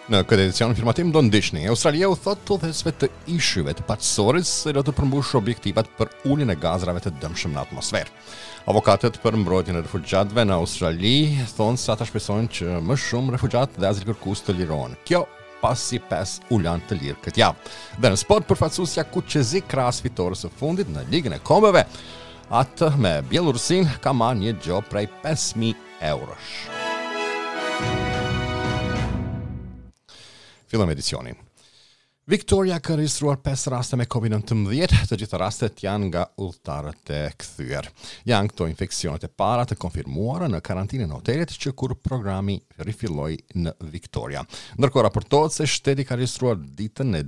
Në këtë edicion informativ do ndiqni. Australia u thotë udhëheqësve të ishujve të Paqësorit se do të përmbushë objektivat për uljen e gazrave të dëmshëm në atmosferë. Avokatët për mbrojtjen e refugjatëve në Australi thonë se ata shpresojnë që më shumë refugjatë dhe azilkërkues të lirohen. Kjo pasi pesë u lanë të lirë këtë javë. Dhe në sport përfaqësuesja kuqezi krahas fitores së fundit në Ligën e Kombeve, atë me Bjellorusinë ka marrë një gjobë prej 5000 eurosh. Fillojmë edicionin. Victoria ka regjistruar 5 raste me COVID-19, të gjitha rastet janë nga udhëtarët e kthyer. Janë këto infeksionet e para të konfirmuara në karantinën e hotelit që kur programi rifilloi në Victoria. Ndërkohë raportohet se shteti ka regjistruar ditën e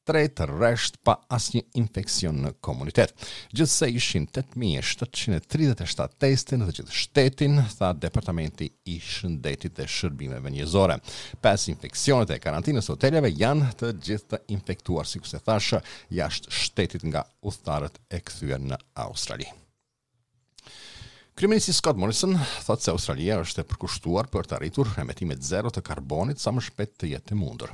43 rresht pa asnjë infeksion në komunitet. Gjithsej ishin 8737 teste në të gjithë shtetin, tha Departamenti i Shëndetit dhe Shërbimeve Njerëzore. Pesë infeksionet e karantinës së hoteleve janë të gjithë të infektuar, sikurse thashë, jashtë shtetit nga udhëtarët e kthyer në Australi. Kryeministri Scott Morrison thotë se Australia është e përkushtuar për të arritur emetimet zero të karbonit sa më shpejt të jetë e mundur.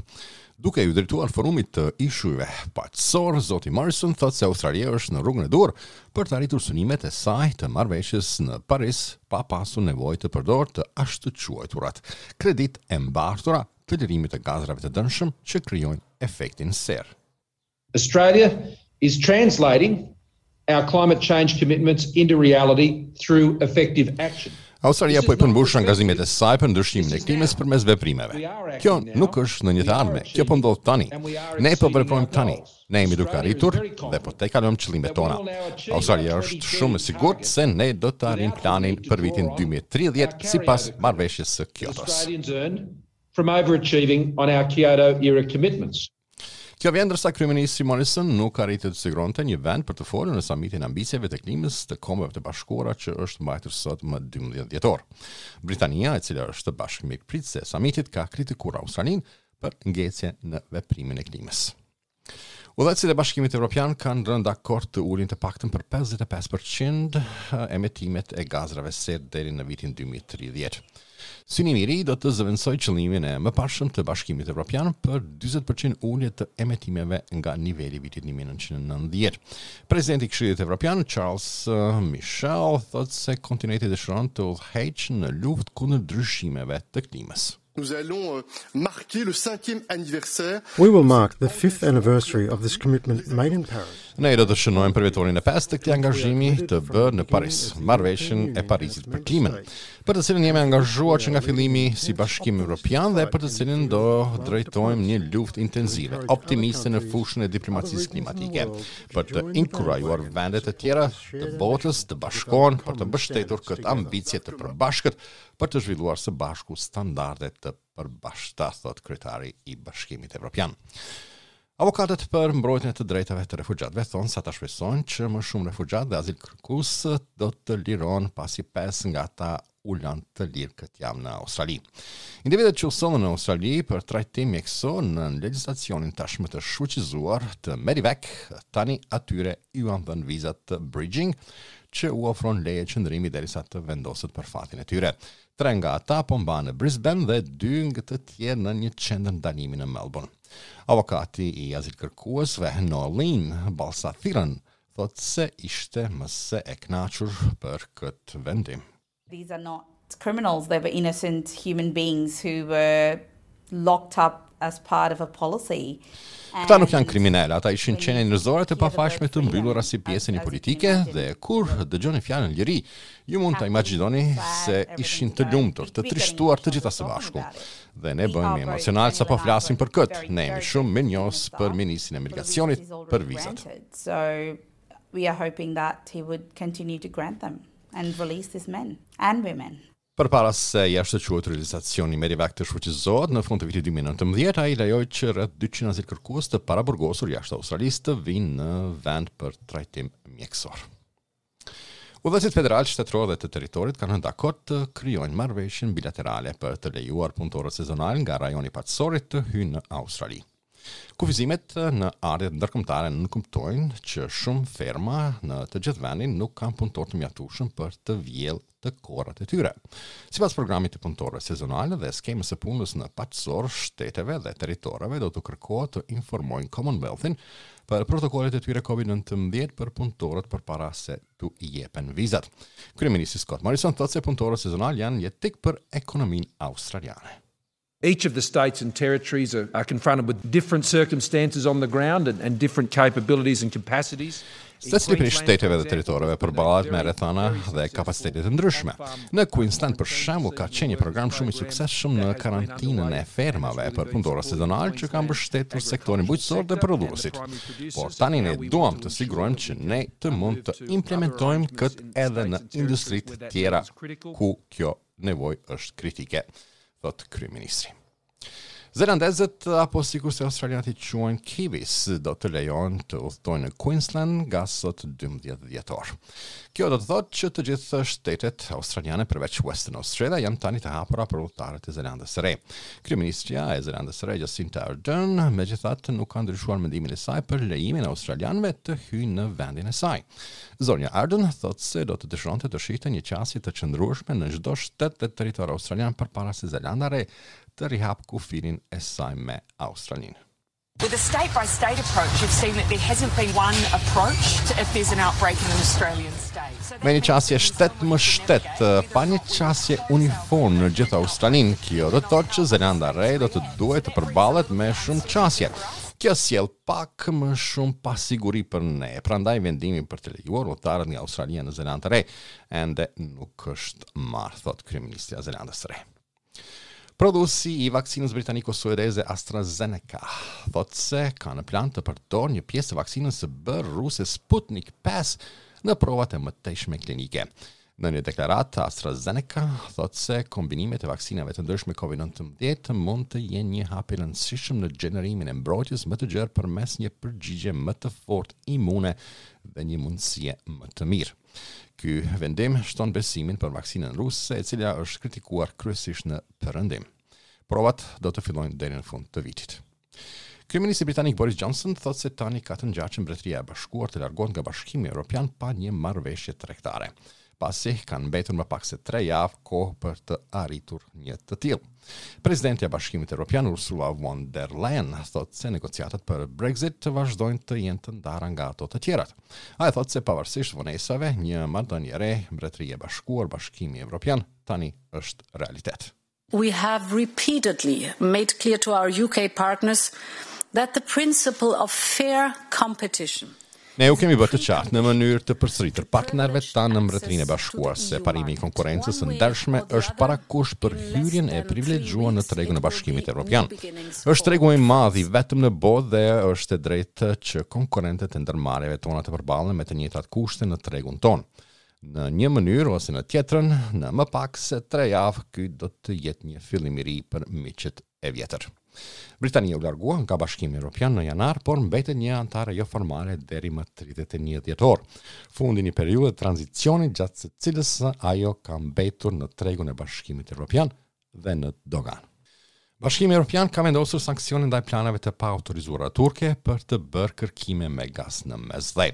Duke iu drejtuar forumit të ishujve paqësor, zoti Morrison thotë se Australia është në rrugën e duhur për të arritur synimet e saj të marrëveshjes në Paris pa pasur nevojë të përdorë të ashtuquajturat kreditë e mbartura të lirimit të gazrave të dëmshëm që krijojnë efektin serë. Australia is translating our climate change commitments into reality through effective action. Australia po i përmbush angazhimet e saj për ndryshimin e klimës përmes veprimeve. Kjo nuk është në një të ardhme, kjo po ndodh tani. Ne po veprojmë tani. Ne jemi duke arritur dhe po tejkalojmë qëllimet tona. Australia është shumë e sigurt se ne do të arrijmë planin për vitin 2030 sipas marrëveshjes së Kyotos. From overachieving on our Kyoto era commitments. Kjo vjen ndërsa kryeministri Morrison nuk arriti të siguronte një vend për të folur në samitin e ambicieve të klimës të Kombeve të Bashkuara që është mbajtur sot më 12 dhjetor. Britania, e cila është bashkëmikpritëse e samitit, ka kritikuar Australinë për ngecje në veprimin e klimës. Udhëheqësit e Bashkimit Evropian kanë rënë dakord të ulin të paktën për 55% emetimet e gazrave serë deri në vitin 2030. Synimi i ri do të zëvendësojë qëllimin e mëparshëm të Bashkimit Evropian për 40% ulje të emetimeve nga niveli i vitit 1990. Presidenti i Këshillit Evropian, Charles Michel, thotë se kontinenti dëshiron të udhëheqë në luftë kundër ndryshimeve të klimës. Nous allons euh, marquer le cinquième anniversaire. We will mark the fifth anniversary of this commitment made in Paris. Ne do të shënojmë përvjetorin e pestë të këtij angazhimi të bërë në Paris, marrëveshjen e Parisit për klimën, për të cilën jemi angazhuar që nga fillimi si Bashkim Evropian dhe për të cilën do drejtojmë një luftë intensive, optimiste në fushën e diplomacisë klimatike, për të inkurajuar vendet e tjera të botës të bashkohen për të mbështetur këtë ambicie të përbashkët për të zhvilluar së bashku standarde të përbashkëta, thotë kryetari i Bashkimit Evropian. Avokatët për mbrojtjen e të drejtave të refugjatëve thonë se ata shpresojnë që më shumë refugjatë dhe azilkërkues do të lirohen pasi pesë nga ata u lanë të lirë këtë javë në Australi. Individët që u sollën në Australi për trajtim mjekësor në legjislacionin tashmë të shfuqizuar të Medevac, tani atyre iu janë dhënë vizat të bridging, që u ofron leje qëndrimi derisa të vendoset për fatin e tyre. Tre nga ata po mbahen në Brisbane dhe dy nga të tjerë në një qendër ndalimi në Melbourne. Avokati i azilkërkuesve Noeline Balsathiran thotë se ishte më se e kënaqur për këtë vendim. These are not criminals, they were innocent human beings who were locked up as part of a policy. Këta nuk janë kriminelë, ata ishin qenie njerëzore të pafajshme të mbyllura si pjesë e një politike dhe kur dëgjoni fjalën liri, ju mund ta imagjinoni se ishin të lumtur, të trishtuar të gjitha së bashku. Dhe ne bëhemi emocional sapo flasim për këtë. Ne jemi shumë mirënjohës për ministrin e migracionit për vizat. So we are hoping that he would continue to grant them and release these men and women. Përpara se i ashtuquajturi legjislacioni Medevac të shfuqizohet në fund të vitit 2019, ai lejoi që rreth 200 azilkërkues të paraburgosur jashtë Australisë të vinë në vend për trajtim mjekësor. Udhëheqësit federal, shtetëror dhe të territorit kanë rënë dakord të krijojnë marrëveshjen bilaterale për të lejuar punëtorët sezonal nga rajoni i Paqësorit të hyjnë në Australi. Kufizimet në ardhjet ndërkombëtare nënkuptojnë që shumë ferma në të gjithë vendin nuk kanë punëtorë të mjaftueshëm për të vjellë të korrat e tyre. Sipas programit të punëtorëve sezonalë dhe skemës së punës në paqësor, shteteve dhe territoreve do t'u kërkohet të informojnë Commonwealthin për protokollet e tyre COVID-19 për punëtorët përpara se t'u jepen vizat. Kryeministri Scott Morrison thotë se punëtorët sezonalë janë jetik për ekonominë australiane. Each of the states and territories are, are confronted with different circumstances on the ground and, and different capabilities and capacities. Secili prej shteteve dhe territoreve përballet me rrethana dhe kapacitete të ndryshme. Në Queensland, për shembull, ka qenë një program shumë i suksesshëm në karantinën e fermave për punëtorë sezonalë që ka mbështetur sektorin bujqësor dhe prodhuesit. Por tani ne duam të sigurojmë që ne të mund të implementojmë këtë edhe në industritë tjera ku kjo nevojë është kritike, thotë kryeministri. Zelandezët apo sikurse australianët i quajnë Kiwis do të lejohen të udhëtojnë në Queensland nga sot 12 dhjetor. Kjo do të thotë që të gjithë shtetet australiane përveç Western Australia janë tani të hapura për udhëtarët e Zelandës së Re. Kryeministrja e Zelandës së Re Jacinda Ardern megjithatë nuk ka ndryshuar mendimin e saj për lejimin e australianëve të hyjnë në vendin e saj. Zonja Ardern thotë se do të dëshironte të shihte një qasje të qëndrueshme në çdo shtet dhe territor australian përpara se Zelanda e Re të rihapë kufirin e saj me Australinë. With a state by state approach, you've seen that there hasn't been one approach to if there's an outbreak in an Australian state. Me një qasje shtet më shtet, pa një qasje uniform në gjithë Australinë, kjo do të thotë që Zelanda e Re do të duhet të përballet me shumë qasje. Kjo sjell pak më shumë pasiguri për ne, prandaj vendimi për të lejuar udhëtarët nga Australia në Zelandë të Re ende nuk është marrë, thotë kryeministrja e Zelandës së Re. Prodhuesi i vaksinës britaniko-suedeze AstraZeneca thotë se ka në plan të përdorë një pjesë të vaksinës së bërë ruse Sputnik 5 në provat e mëtejshme klinike. Në një deklaratë, AstraZeneca thotë se kombinimet e vaksinave të ndryshme COVID-19 mund të jenë një hap i rëndësishëm në gjenerimin e mbrojtjes më të gjerë përmes një përgjigje më të fortë imune dhe një mundësie më të mirë. Ky vendim shton besimin për vaksinën ruse, e cila është kritikuar kryesisht në Perëndim. Provat do të fillojnë deri në fund të vitit. Kryeministri britanik Boris Johnson thotë se tani ka të ngjarë që Mbretëria e Bashkuar të largohet nga Bashkimi Evropian pa një marrëveshje tregtare, pasi kanë mbetur më pak se tre javë kohë për të arritur një të tillë. Presidentja e Bashkimit Evropian Ursula von der Leyen thotë se negociatat për Brexit të vazhdojnë të jenë të ndara nga ato të tjerat. Ajo thotë se pavarësisht vonesave, një marrëdhënie e re Mbretëria e Bashkuar Bashkimi Evropian tani është realitet. We have repeatedly made clear to our UK partners that the principle of fair competition Ne u kemi bërë të qartë në mënyrë të përsëritur partnerëve tanë në Mbretërinë e Bashkuar se parimi i konkurrencës së ndershme është parakusht për hyrjen e privilegjuar në tregun e Bashkimit Evropian. Është tregu i madh i vetëm në botë dhe është e drejtë që konkurrentët e ndërmarrjeve tona të përballen me të njëjtat kushte në tregun tonë. Në një mënyrë ose në tjetrën, në më pak se tre javë, ky do të jetë një fillim i ri për miqët e vjetër. Britania u largua nga Bashkimi Evropian në janar, por mbetet një anëtare joformale deri më 31 dhjetor. Fundi i një periudhe tranzicioni gjatë së cilës ajo ka mbetur në tregun e Bashkimit Evropian dhe në doganë. Bashkimi Evropian ka vendosur sanksione ndaj planeve të paautorizuara turke për të bërë kërkime me gaz në Mesdhe.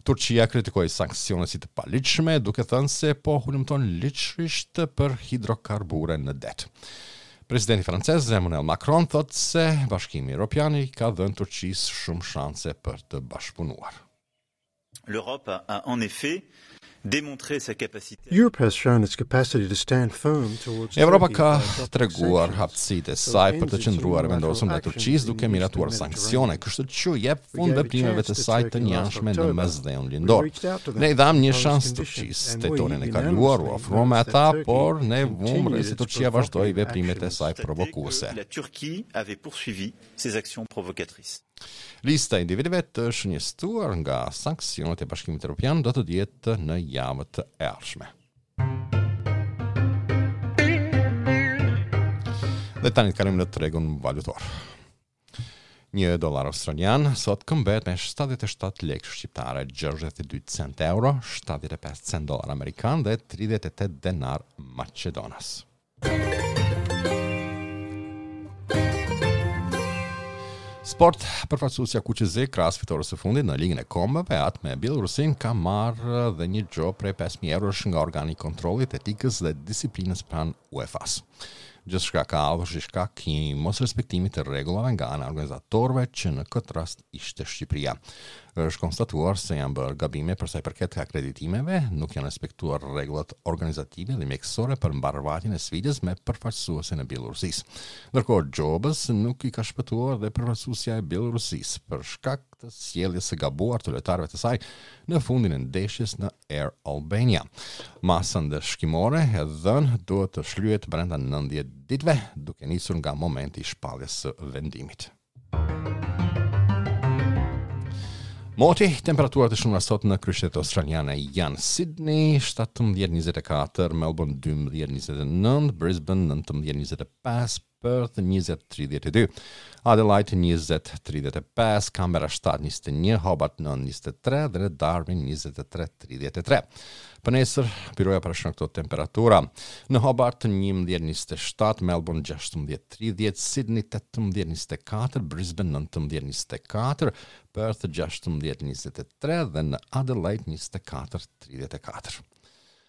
Turqia kritikoi sanksionet si të paligjshme, duke thënë se po hulumton ligjërisht për hidrokarbure në det. Presidenti francez Emmanuel Macron thotë se Bashkimi Evropian i ka dhënë Turqisë shumë shanse për të bashkëpunuar. L'Europe a en effet démontré sa capacité. Europe has shown its capacity to stand firm towards Evropa ka treguar aftësitë e saj për të qëndruar e vendosur ndaj Turqisë duke miratuar sanksione, kështu që jep fund veprimeve të saj të njëanshme në Mesdheun Lindor. Ne i dhamë një shans Turqisë. Tetorin e kaluar u afruam me ata, por ne vumë re se Turqia vazhdoi veprimet e saj provokuese. La Turquie avait poursuivi ses actions provocatrices. Lista e individëve të shënjestruar nga sanksionet e Bashkimit Evropian do të dihet në javët e ardhshme. Dhe tani të kalojmë në tregun valutor. Një dollar australian sot këmbehet me 77 lekë shqiptare, 62 cent euro, 75 cent dollar amerikan dhe 38 denar maqedonas. Sport, përfaqësuesja kuqezi krahas fitores së fundit në Ligën e Kombeve, atë me Bjellorusinë ka marrë dhe një gjobë prej 5000 eurosh nga organi i kontrollit, etikës dhe disiplinës pranë UEFA-s. Gjithçka ka ardhur si shkak i mosrespektimit të rregullave nga ana e organizatorëve që në këtë rast ishte Shqipëria. Është konstatuar se janë bërë gabime për sa i përket akreditimeve, nuk janë respektuar rregullat organizative dhe mjekësore për mbarëvajtjen e sfidës me përfaqësuesen e Bjellorusisë. Ndërkohë gjobës nuk i ka shpëtuar dhe përfaqësuesja e Bjellorusisë për shkak të sjelljes së gabuar të lojtarëve të saj në fundin e ndeshjes në Air Albania. Masa ndëshkimore e dhënë duhet të shlyhet brenda 90 ditëve, duke nisur nga momenti i shpalljes së vendimit. Moti, temperaturat e shënuara sot në kryeqytetet australiane janë Sydney 17:24, Melbourne 12:29, Brisbane 19:25, Perth 20 32, Adelaide 20 35, Canberra 7 21, Hobart 9 23 dhe në Darwin 23 33. Për nesër, byroja parashikon këto temperatura. Në Hobart 11 27, Melbourne 16 30, Sydney 18 24, Brisbane 19 24, Perth 16 23 dhe në Adelaide 24 34.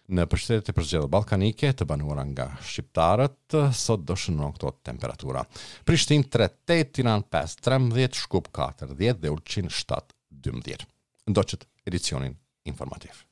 Nëpër shtetet e përzgjedhura ballkanike të banuara nga shqiptarët, sot do shënohen këto temperatura. Prishtinë 3 8, Tiranë 5 13, Shkup 4 10 dhe Ulqin 7 12. Ndoqët edicionin informativ.